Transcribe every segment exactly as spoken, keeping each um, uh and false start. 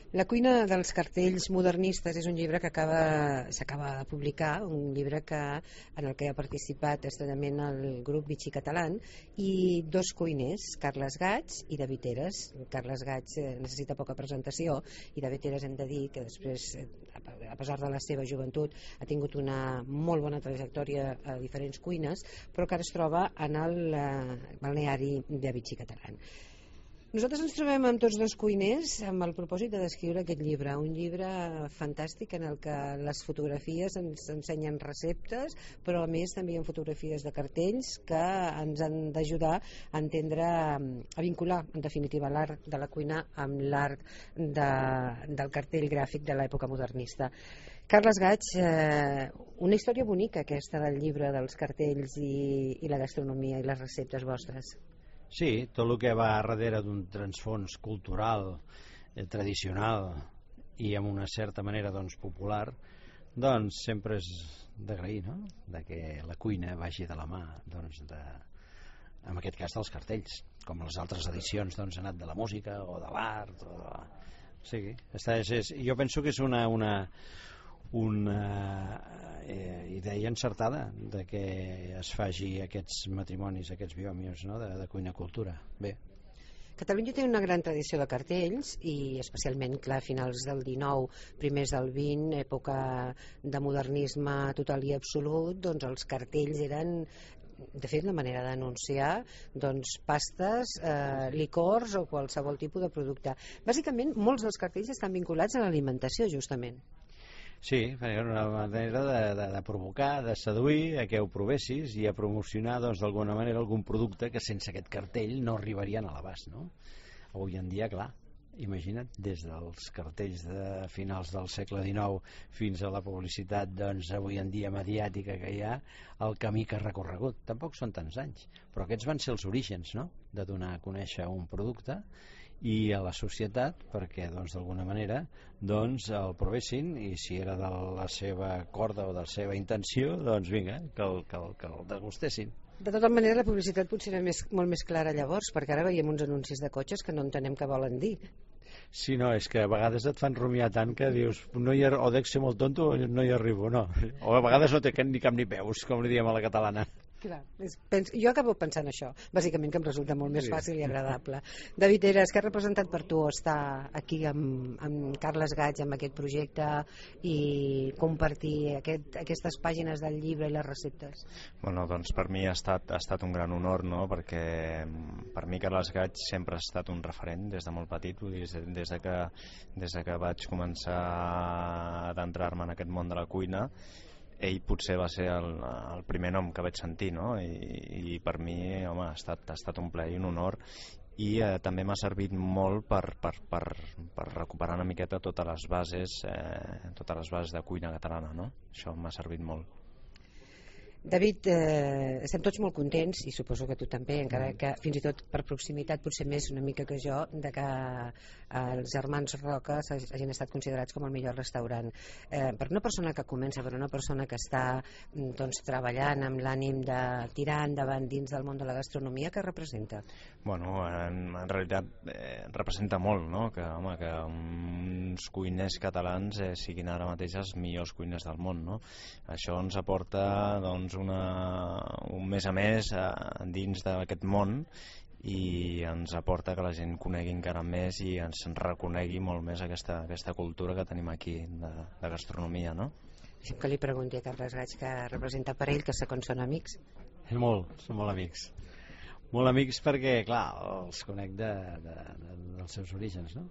La cuina dels cartells modernistes és un llibre que acaba s'acaba de publicar, un llibre que, en el que ha participat estrenament el grup Vichy Catalan i dos cuiners, Carles Gaig i David Heras. Carles Gaig eh, necessita poca presentació i David Heras hem de dir que després, eh, a pesar de la seva joventut, ha tingut una molt bona trajectòria a diferents cuines, però que ara es troba en el eh, balneari de Vichy Catalan. Nosaltres ens trobem amb tots dos cuiners amb el propòsit de descriure aquest llibre, un llibre fantàstic en el que les fotografies ens ensenyen receptes, però a més també hi ha fotografies de cartells que ens han d'ajudar a entendre, a vincular en definitiva l'art de la cuina amb l'art de, del cartell gràfic de l'època modernista. Carles Gaig, eh, una història bonica aquesta del llibre dels cartells i, i la gastronomia i les receptes vostres. Sí, tot el que va darrere d'un transfons cultural, eh, tradicional i amb una certa manera doncs, popular, doncs sempre és d'agrair, no? De que la cuina vagi de la mà doncs, de, en aquest cas dels cartells, com les altres edicions doncs, han anat de la música o de l'art o de... sí, és, és, jo penso que és una, una, una eh, idea encertada de que es faci aquests matrimonis, aquests biomios, no? de, de cuina-cultura. Bé. Catalunya té una gran tradició de cartells i especialment, clar, a finals del dinou, primers del vint, època de modernisme total i absolut, doncs els cartells eren, de fet, la manera d'anunciar doncs, pastes, eh, licors o qualsevol tipus de producte. Bàsicament, molts dels cartells estan vinculats a l'alimentació, justament. Sí, era una manera de, de, de provocar, de seduir a que ho provessis i a promocionar doncs, d'alguna manera algun producte que sense aquest cartell no arribarien a l'abast, no? Avui en dia, clar, imagina't, des dels cartells de finals del segle dinou fins a la publicitat doncs, avui en dia mediàtica que hi ha, el camí que ha recorregut. Tampoc són tants anys, però aquests van ser els orígens, no?, de donar a conèixer un producte i a la societat perquè doncs, d'alguna manera doncs, el provessin i si era de la seva corda o de la seva intenció doncs vinga, que el, que el, que el degustessin. De tota manera la publicitat potser era més, molt més clara llavors, perquè ara veiem uns anuncis de cotxes que no entenem què volen dir. Sí, no, és que a vegades et fan rumiar tant que dius no hi ha, o dec ser molt tonto o no hi arribo, no, o a vegades no té ni cap ni peus, com li diem a la catalana. Clar, és, pens, jo acabo pensant això, bàsicament que em resulta molt més fàcil i agradable. David Heras, què ha representat per tu estar aquí amb, amb Carles Gaig amb aquest projecte i compartir aquest, aquestes pàgines del llibre i les receptes? Bueno, doncs per mi ha estat, ha estat un gran honor, no? Perquè per mi Carles Gaig sempre ha estat un referent des de molt petit, vull dir, des de que, des de que vaig començar a adentrar-me en aquest món de la cuina. Ell potser va ser el, el primer nom que vaig sentir, no? I, i per mi, home, ha estat, ha estat un plaer i un honor i eh, també m'ha servit molt per, per, per, per recuperar una miqueta totes les bases eh, totes les bases de cuina catalana, no? Això m'ha servit molt. David, eh, estem tots molt contents i suposo que tu també, encara que fins i tot per proximitat potser més una mica que jo, de que eh, els germans Roca hagin estat considerats com el millor restaurant. Eh, per una persona que comença, per una persona que està doncs, treballant amb l'ànim de tirar endavant dins del món de la gastronomia, què representa? Bueno, en, en realitat eh, representa molt, no? Que, home, que uns cuiners catalans eh, siguin ara mateix els millors cuiners del món, no? Això ens aporta doncs una, un més a més eh, dins d'aquest món i ens aporta que la gent conegui encara més i ens reconegui molt més aquesta, aquesta cultura que tenim aquí de, de gastronomia, no? Deixa'm que li pregunti a Carles Gaig què representa per ell, que segons són amics. Molt, són molt amics. Molt amics perquè, clar, els conec de, de, de, dels seus orígens, no?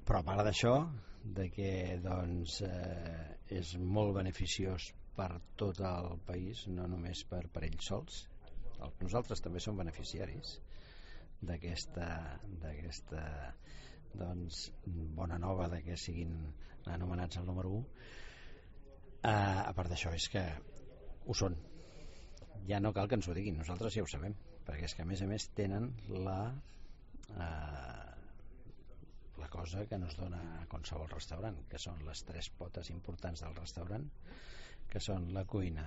Però a part d'això, de que doncs, eh, és molt beneficiós per tot el país, no només per, per ells sols. Nosaltres també som beneficiaris d'aquesta d'aquesta doncs, bona nova de que siguin anomenats el número u. Eh, a part d'això és que ho són. Ja no cal que ens ho diguin, nosaltres ja ho sabem, perquè és que a més a més tenen la eh, la cosa que no es dona a qualsevol restaurant, que són les tres potes importants del restaurant, que són la cuina,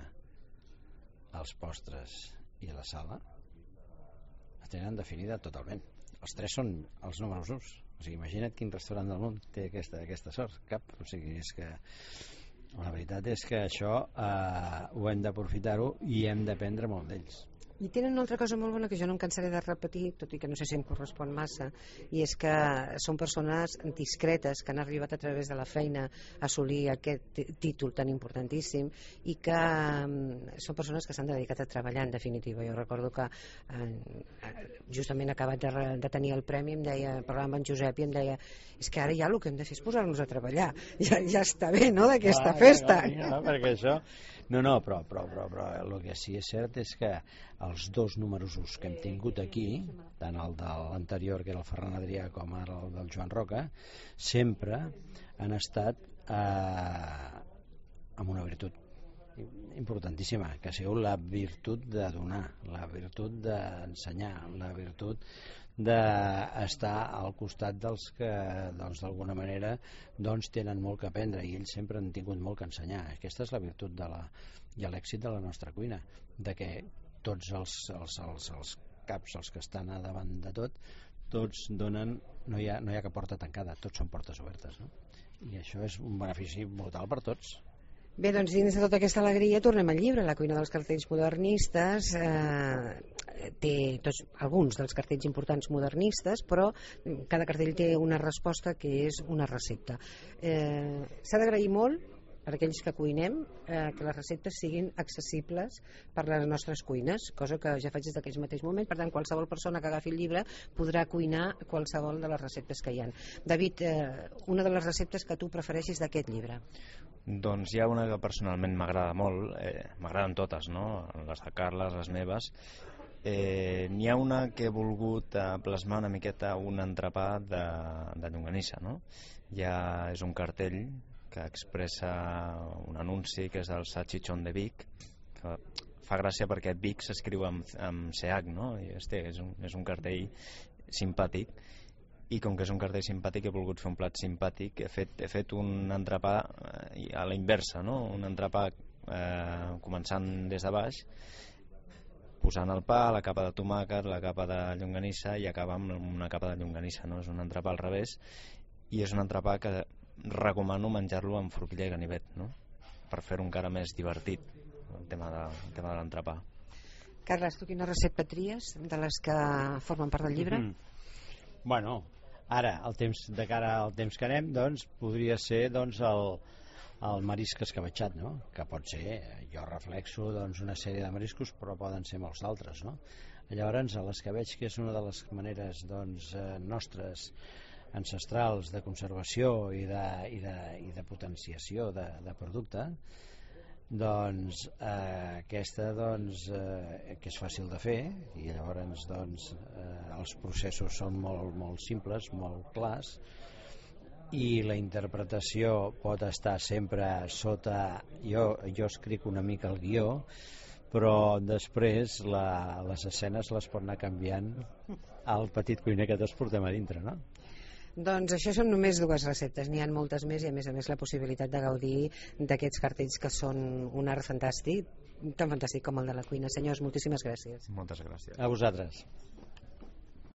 els postres i la sala, la tenen definida totalment. Els tres són els números uns. O sigui, imagina't quin restaurant del món té aquesta, aquesta sort. Cap. O sigui, és que la veritat és que això eh, ho hem d'aprofitar-ho i hem d'aprendre molt d'ells. I tenen una altra cosa molt bona que jo no em cansaré de repetir, tot i que no sé si em correspon massa, i és que són persones discretes que han arribat a través de la feina a assolir aquest títol tan importantíssim i que um, són persones que s'han dedicat a treballar, en definitiva. Jo recordo que eh, justament acabat de, de tenir el premi em deia, parlava amb en Josep i em deia és que ara ja el que hem de fer és posar-nos a treballar, ja, ja està bé, no?, d'aquesta festa. No, no, perquè això... No, no, però, però, però, però el que sí és cert és que els dos números que hem tingut aquí, tant el de l'anterior, que era el Ferran Adrià, com ara el del Joan Roca, sempre han estat eh, amb una virtut importantíssima, que ha sigut la virtut de donar, la virtut d'ensenyar, la virtut d'estar al costat dels que doncs, d'alguna manera doncs, tenen molt que aprendre, i ells sempre han tingut molt que ensenyar. Aquesta és la virtut de la, i l'èxit de la nostra cuina, de que tots els, els, els, els caps, els que estan a davant de tot, tots donen, no hi ha, no hi ha cap porta tancada, tots són portes obertes, no? I això és un benefici brutal per tots. Bé, doncs dins de tota aquesta alegria tornem al llibre. La cuina dels cartells modernistes eh, té tots, alguns dels cartells importants modernistes, però cada cartell té una resposta que és una recepta. Eh, s'ha d'agrair molt per aquells que cuinem eh, que les receptes siguin accessibles per les nostres cuines, cosa que ja faig des d'aquells mateix moments. Per tant, qualsevol persona que agafi el llibre podrà cuinar qualsevol de les receptes que hi ha. David, eh, una de les receptes que tu prefereixis d'aquest llibre? Doncs hi ha una que personalment m'agrada molt, eh, m'agraden totes, no? Les de Carles, les meves. Eh, n'hi ha una que he volgut eh, plasmar una miqueta un entrepà de, de llonganissa, no? Ja és un cartell que expressa un anunci que és del Salchichón de Vic, que fa gràcia perquè Vic s'escriu amb, amb C H, no? I este és un, és un cartell simpàtic, i com que és un cartell simpàtic he volgut fer un plat simpàtic. He fet, he fet un entrepà eh, a la inversa, no? Un entrepà eh, començant des de baix, posant el pa, la capa de tomàquet, la capa de llonganissa, i acaba amb una capa de llonganissa, no? És un entrepà al revés, i és un entrepà que recomano menjar-lo amb forquilla i ganivet, no? Per fer-ho encara més divertit, el tema de, el tema de l'entrepà. Carles, tu quina recepta tries de les que formen part del llibre? Mm-hmm. Bueno, ara, el temps, de cara al temps que anem, doncs, podria ser doncs, el, el marisc escabetxat, no? Que pot ser, jo reflexo doncs, una sèrie de mariscos, però poden ser molts d'altres, no? Llavors, l'escabetx, que és una de les maneres doncs, nostres ancestrals de conservació i de, i de, i de potenciació de, de producte, doncs eh, aquesta doncs, eh, que és fàcil de fer, i llavors doncs, eh, els processos són molt, molt simples, molt clars, i la interpretació pot estar sempre sota, jo, jo escric una mica el guió, però després la, les escenes les pot anar canviant al petit cuiner que tots portem a dintre, no? Doncs això són només dues receptes, n'hi ha moltes més, i a més a més la possibilitat de gaudir d'aquests cartells que són un art fantàstic, tan fantàstic com el de la cuina. Senyors, moltíssimes gràcies. Moltes gràcies. A vosaltres.